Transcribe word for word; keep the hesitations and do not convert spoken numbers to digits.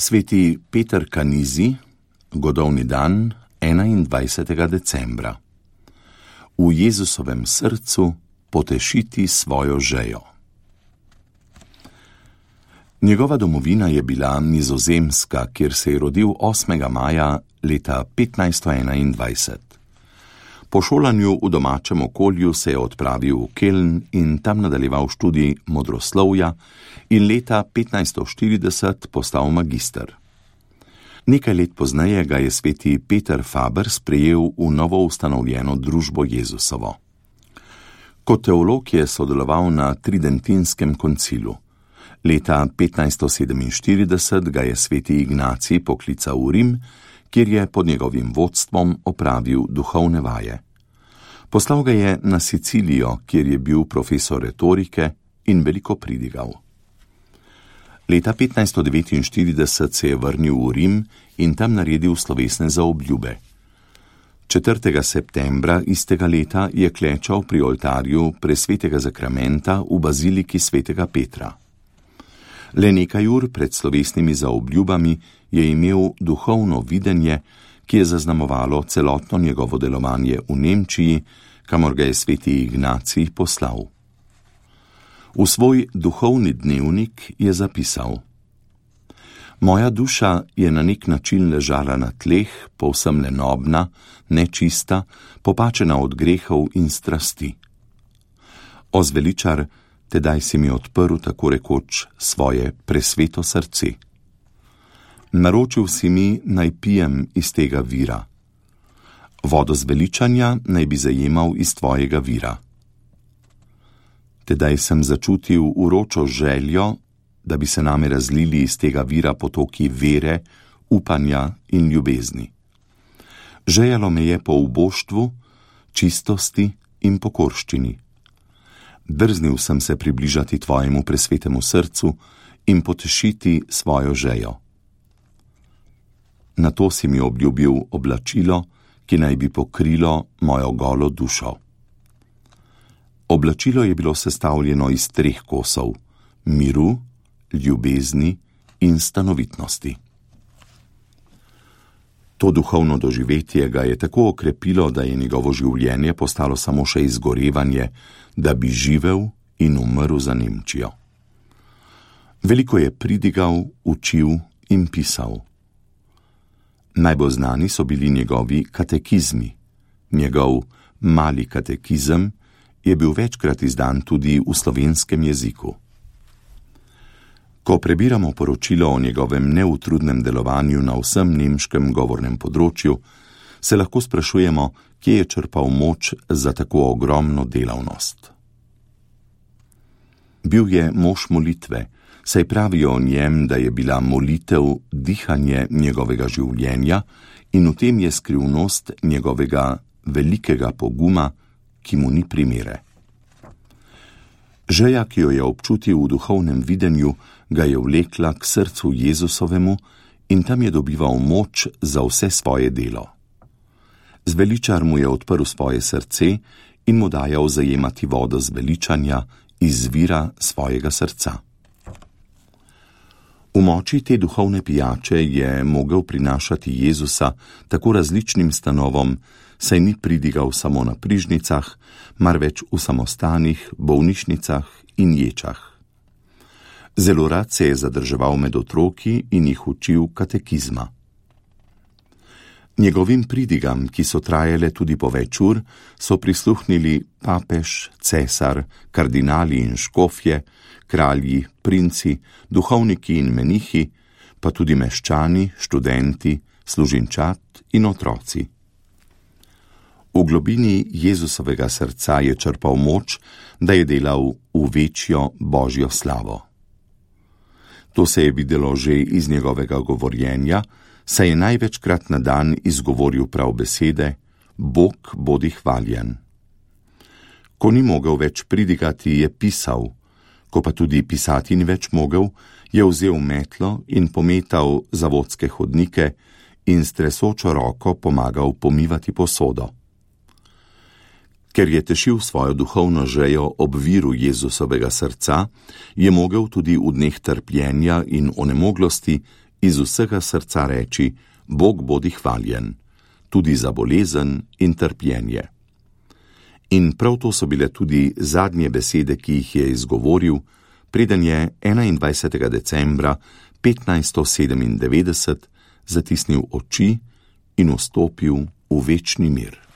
Sveti Peter Kanizi, godovni dan enaindvajsetega decembra. V Jezusovem srcu potešiti svojo žejo. Njegova domovina je bila Nizozemska, kjer se je rodil osmega maja leta petnajststo enaindvajset. Po šolanju v domačem okolju se je odpravil v Keln in tam nadaljeval študij modroslovja in leta petnajststo štirideset postal magister. Nekaj let pozneje ga je sveti Peter Faber sprejel v novo ustanovljeno družbo Jezusovo. Kot teolog je sodeloval na Tridentinskem koncilu. Leta petnajststo sedeminštirideset ga je sveti Ignacij poklical v Rim, kjer je pod njegovim vodstvom opravil duhovne vaje. Poslal ga je na Sicilijo, kjer je bil profesor retorike in veliko pridigal. Leta petnajststo devetinštirideset se je vrnil v Rim in tam naredil slovesne zaobljube. četrtega septembra istega leta je klečal pri oltarju presvetega zakramenta v baziliki svetega Petra. Le nekaj ur pred slovesnimi zaobljubami je imel duhovno videnje, ki je zaznamovalo celotno njegovo delovanje v Nemčiji, kamor ga je sveti Ignacij poslal. V svoj duhovni dnevnik je zapisal: Moja duša je na nek način ležala na tleh, povsem lenobna, nečista, popačena od grehov in strasti. O zveličar, tedaj si mi odprl tako rekoč svoje presveto srce. Naročil si mi, naj pijem iz tega vira. Vodo zveličanja naj bi zajemal iz tvojega vira. Tedaj sem začutil uročo željo, da bi se name razlili iz tega vira potoki vere, upanja in ljubezni. Žejalo me je po uboštvu, čistosti in pokorščini. Drznil sem se približati tvojemu presvetemu srcu in potešiti svojo žejo. Nato si mi obljubil oblačilo, ki naj bi pokrilo mojo golo dušo. Oblačilo je bilo sestavljeno iz treh kosov: miru, ljubezni in stanovitnosti. To duhovno doživetje ga je tako okrepilo, da je njegovo življenje postalo samo še izgorevanje, da bi živel in umrl za Nemčijo. Veliko je pridigal, učil in pisal. Najbolj znani so bili njegovi katekizmi. Njegov mali katekizem je bil večkrat izdan tudi v slovenskem jeziku. Ko prebiramo poročilo o njegovem neutrudnem delovanju na vsem nemškem govornem področju, se lahko sprašujemo, kje je črpal moč za tako ogromno delavnost. Bil je mož molitve, saj pravijo o njem, da je bila molitev dihanje njegovega življenja in v tem je skrivnost njegovega velikega poguma, ki mu ni primere. Želja, ki jo je občutil v duhovnem videnju, ga je vlekla k srcu Jezusovemu in tam je dobival moč za vse svoje delo. Zveličar mu je odprl svoje srce in mu dajal zajemati vodo zveličanja iz vira svojega srca. V moči te duhovne pijače je mogel prinašati Jezusa tako različnim stanovom, saj ni pridigal samo na prižnicah, marveč v samostanih, bolnišnicah in ječah. Zelo rad se je zadrževal med otroki in jih učil katekizma. Njegovim pridigam, ki so trajale tudi po več ur, so prisluhnili papež, cesar, kardinali in škofje, kralji, princi, duhovniki in menihi, pa tudi meščani, študenti, služinčat in otroci. V globini Jezusovega srca je črpal moč, da je delal v večjo Božjo slavo. To se je videlo že iz njegovega govorjenja, saj je največkrat na dan izgovoril prav besede: Bog bodi hvaljen. Ko ni mogel več pridigati, je pisal, ko pa tudi pisati ni več mogel, je vzel metlo in pometal zavodske hodnike in s tresočo roko pomagal pomivati posodo. Ker je tešil svojo duhovno žejo ob viru Jezusovega srca, je mogel tudi v dneh trpljenja in onemoglosti iz vsega srca reči: Bog bodi hvaljen, tudi za bolezen in trpljenje. In prav to so bile tudi zadnje besede, ki jih je izgovoril, preden je enaindvajsetega decembra petnajststo sedemindevetdeset zatisnil oči in vstopil v večni mir.